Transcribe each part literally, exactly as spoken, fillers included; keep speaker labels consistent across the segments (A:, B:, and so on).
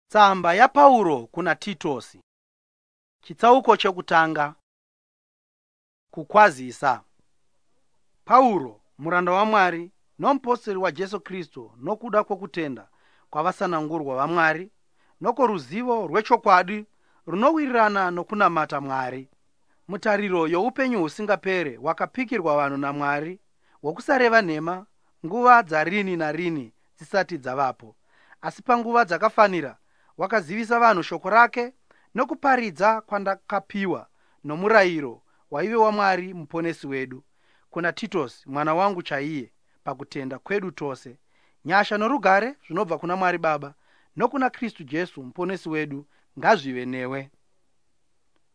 A: Tsamba yaPauro kuna Titosi. Chitsauko chekutanga. Kukwazisa. Pauro, muranda waMwari nomupostori waJesu Kristu nokuda kwokutenda kwavasanangurwa vaMwari nokworuzivo rwechokwadi runowirirana nokunamata Mwari. Mutariro youpenyu husingapere hwakapikirwa vanhu naMwari hwokusareva nhema nguva dzarini narini dzisati dzavapo. Asi panguva dzakafanira wakazivisa vanhu shoko rake nokuparidza kwandakapiwa nomurayiro waive waMwari muponesi wedu kuna Titosi mwana wangu chaiye pakutenda kwedu tose. Nyasha norugare zvinobva kuna Mwari Baba nokuna Kristu Jesu muponesi wedu ngazvive newe.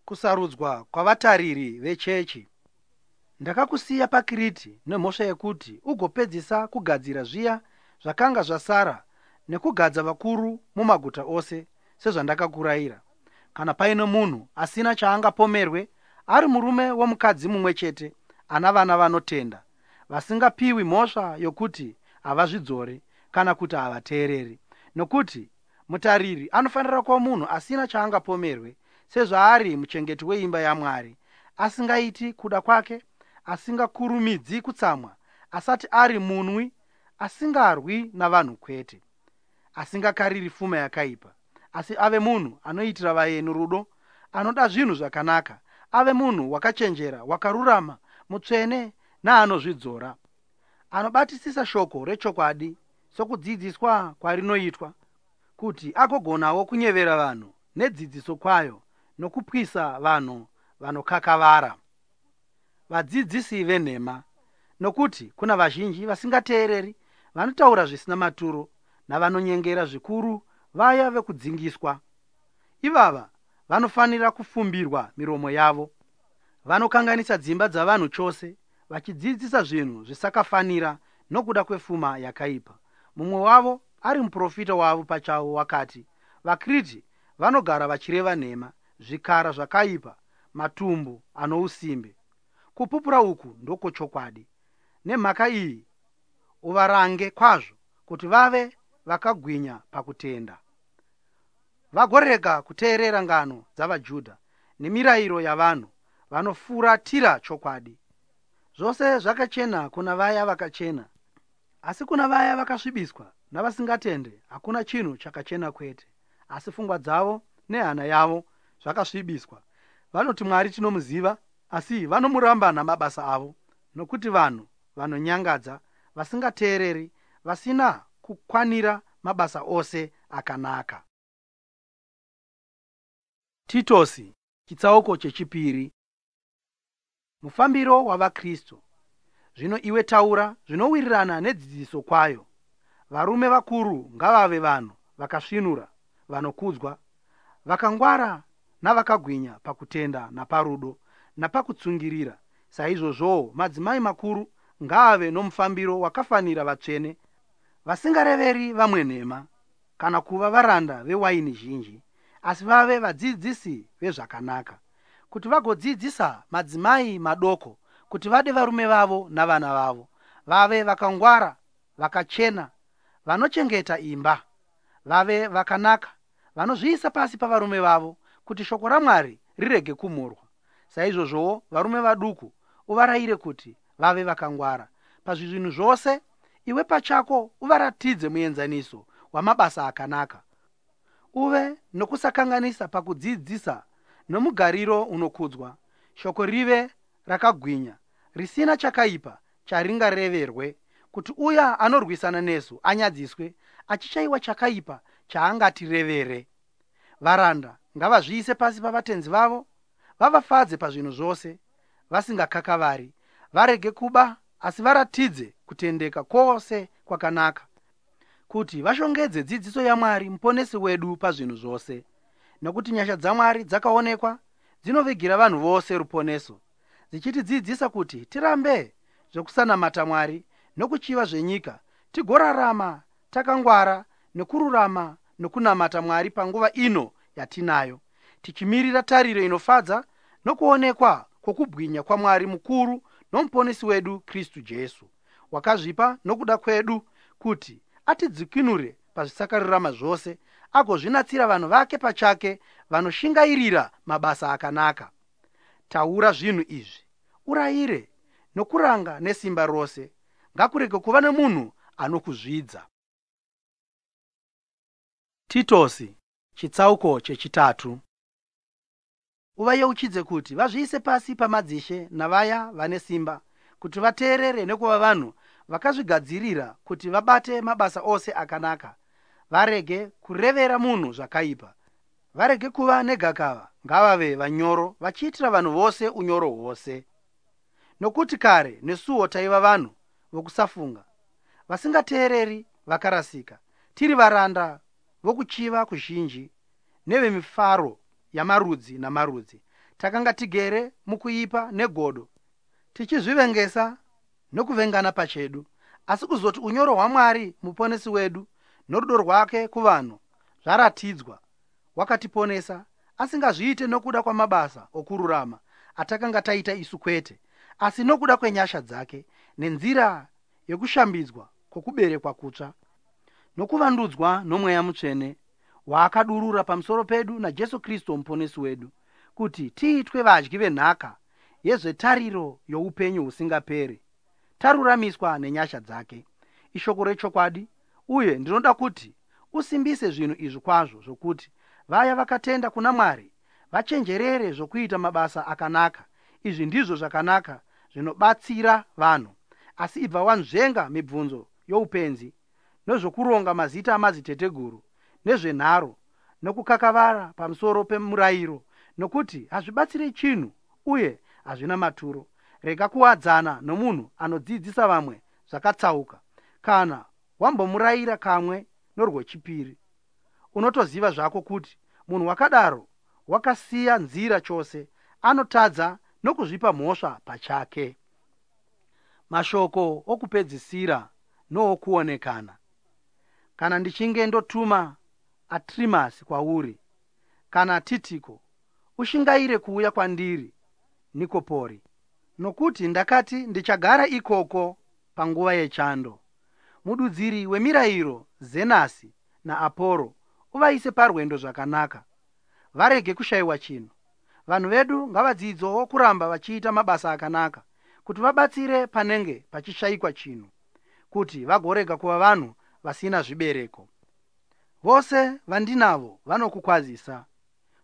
A: Kusarudzwa kwavatariri vechechi. Ndakakusiya paKiriti nemhosva yekuti ugopedzisa kugadzira zviya zvakanga zvasara nekugadza vakuru mumaguta ose sezvandakakurayira. Kana paine munhu asina chaangapomerwe, ari murume womukadzi mumwe chete, ana vana vanotenda, vasingapiwi mhosva yokuti havazvidzori kana kuti havateereri. Nokuti mutariri anofanira kuva munhu asina chaangapomerwe, sezvaari muchengeti weimba yaMwari, asingaiti kuda kwake, asingakurumidzi kutsamwa, asati ari munwi, asingarwi navanhu kwete, asingakariri fuma yakaipa, asi ave munhu anoitira vaeni rudo, anoda zvinhu zvakanaka, ave munhu wakachenjera, wakarurama, mutsvene naanozvidzora, anobatisisa shoko rechokwadi sokudzidziswa kwarinoitwa, kuti agogonawo kunyevera vanhu nedzidziso kwayo nokupwisa vanhu vanokakavara, vadzidzisi venhema. Nokuti kuna vazhinji vasingateereri, vanotaura zvisina maturo navanonyengera zvikuru vaya vekudzingiswa. Ivava vanofanira kufumbirwa miromo yavo. Vanokanganisa dzimba dzavanhu chose, vachidzidzisa zvinhu zvisakafanira nokuda kwefuma yakaipa. Mumwe wavo ari muprofita wavo pachavo wakati, vaKriti vanogara vachireva nhema, zvikara zvakaipa, matumbu anousimbe. Kupupura uku ndokwechokwadi. Nemhaka iyi uvarange kwazvo kuti vave vakagwinya pakutenda, vagorega kuteerera ngano dzavaJudha nemirayiro yavanhu vanofuratira chokwadi. Zvose zvakachena kuna vaya vakachena, asi kuna vaya vakasvibiswa navasingatende hakuna chinhu chakachena kwete. Asi pfungwa dzavo nehana yavo zvakasvibiswa. Vanoti Mwari tinomuziva, asi vanomuramba namabasa avo, nokuti vanhu vanonyangadza, vasingateereri, vasina kukwanira mabasa ose akanaka. Titosi chitsauko chechipiri. Mufambiro wavaKristu. Zvino iwe taura zvinowirirana nedzidziso kwayo. Varume vakuru ngavave vanhu vakasvinura, vanokudzwa, vakangwara navakagwinya pakutenda naparudo napakutsungirira. Saizvozvowo madzimai makuru ngaave nomufambiro wakafanira vatsvene, vasingareveri vamwe nhema, kana kuva varanda vewaini zhinji, asi vave vadzidzisi vezvakanaka, kuti vagodzidzisa madzimai madoko kuti vade varume vavo navana vavo, vave vakangwara, vakachena, vanochengeta imba, vave vakanaka, vanozviisa pasi pavarume vavo, kuti shoko raMwari rirege kumhurwa. Saizvozvowo varume vaduku uvarayire kuti vave vakangwara pazvinhu zvose. Iwe pachako uvaratidze muenzaniso wamabasa akanaka, uve nokusakanganisa pakudzidzisa nomugariro unokudzwa, shoko rive rakagwinya, risina chakaipa charingareverwe, kuti uya anorwisana nesu anyadziswe, achishayiwa chakaipa chaangatirevere. Varanda ngavazviise pasi pavatenzi vavo, vavafadze pazvinhu zvose, vasingakakavari, varege kuba, asi varatidze kutendeka kwose kwakanaka, kuti vashongedze dzidziso yaMwari muponesi wedu pazvinhu zvose. Nokuti nyasha dzaMwari dzakaonekwa, dzinovigira vanhu vose ruponeso, dzichitidzidzisa kuti tirambe zvekusanamata Mwari nokuchiva zvenyika, tigorarama takangwara nokururama nokunamata Mwari panguva ino yatinayo, tichimirira tariro inofadza nokuonekwa kwokubwinya kwaMwari mukuru nomuponesi wedu Kristu Jesu, wakazvipa nokuda kwedu kuti atidzikinure pazvisakarurama zvose, agozvinatsira vanhu vake pachake vanoshingairira mabasa akanaka. Taura zvinhu izvi, urayire nokuranga nesimba rose. Ngakurege kuva nemunhu anokuzvidza. Titosi chitsauko chechitatu. Uvayeuchidze kuti vazviise pasi pamadzishe navaya vane simba, kuti vateerere nekuva vanhu vakazvigadzirira kuti vabate mabasa ose akanaka. Varege kurevera munhu zvakaipa, varege kuva negakava, ngavave vanyoro, vachiitira vanhu vose unyoro hwose. Nokuti kare nesuwo taiva vanhu vokusafunga, vasingateereri, vakarasika, tiri varanda vokuchiva kuzhinji nevemifaro yamarudzi namarudzi. Takanga tigere mukuipa negodo, tichizvivengesa nokuvengana pachedu. Asi kuzoti unyoro hwaMwari muponesi wedu norudo rwake kuvanhu zvaratidzwa, wakatiponesa, asingazviite nokuda kwamabasa okururama atakanga taita isu kwete, asi nokuda kwenyasha dzake, nenzira yokushambidzwa kwokuberekwa kutsva nokuvandudzwa noMweya Mutsvene waakadurura pamusoro pedu naJesu Kristu muponesi wedu, kuti tiitwe vadyi venhaka yezvetariro youpenyu husingaperi, taruramiswa nenyasha dzake. Ishoko rechokwadi, uye ndinoda kuti usimbise zvinhu izvi kwazvo, zvokuti vaya vakatenda kuna Mwari vachenjerere zvokuita mabasa akanaka. Izvi ndizvo zvakanaka zvinobatsira vanhu. Asi ibva wanzvenga mibvunzo youpenzi nezvokuronga mazita amadziteteguru nezvenharo nokukakavara pamusoro pemurayiro, nokuti hazvibatsiri chinhu uye hazvina maturo. Rega kuwadzana nomunhu anodzidzisa vamwe zvakatsauka. Kana wambomurayira kamwe norwechipiri, unotoziva zvako kuti munhu wakadaro wakasiya nzira chose, anotadza nokuzvipa mhosva pachake. Mashoko okupedzisira nookuonekana. Kana ndichinge ndotuma Atrimasi kwauri kana Titiko, ushingaire kuuya kwandiri Nikopori, nokuti ndakati ndichagara ikoko panguva yechando. Mududziri wemirayiro Zenasi naAporo uvaise parwendo zvakanaka, varege kushayiwa chinhu. Vanhu vedu ngavadzidzewo kuramba vachiita mabasa akanaka, kuti vabatsire panenge pachishayikwa chinhu, kuti vagorega kuva vanhu vasina zvibereko. Vose vandinavo vanokukwazisa.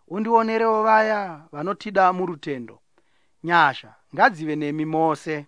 A: Undionerewo vaya vanotida murutendo. Nyasha ngadzive nemi mose.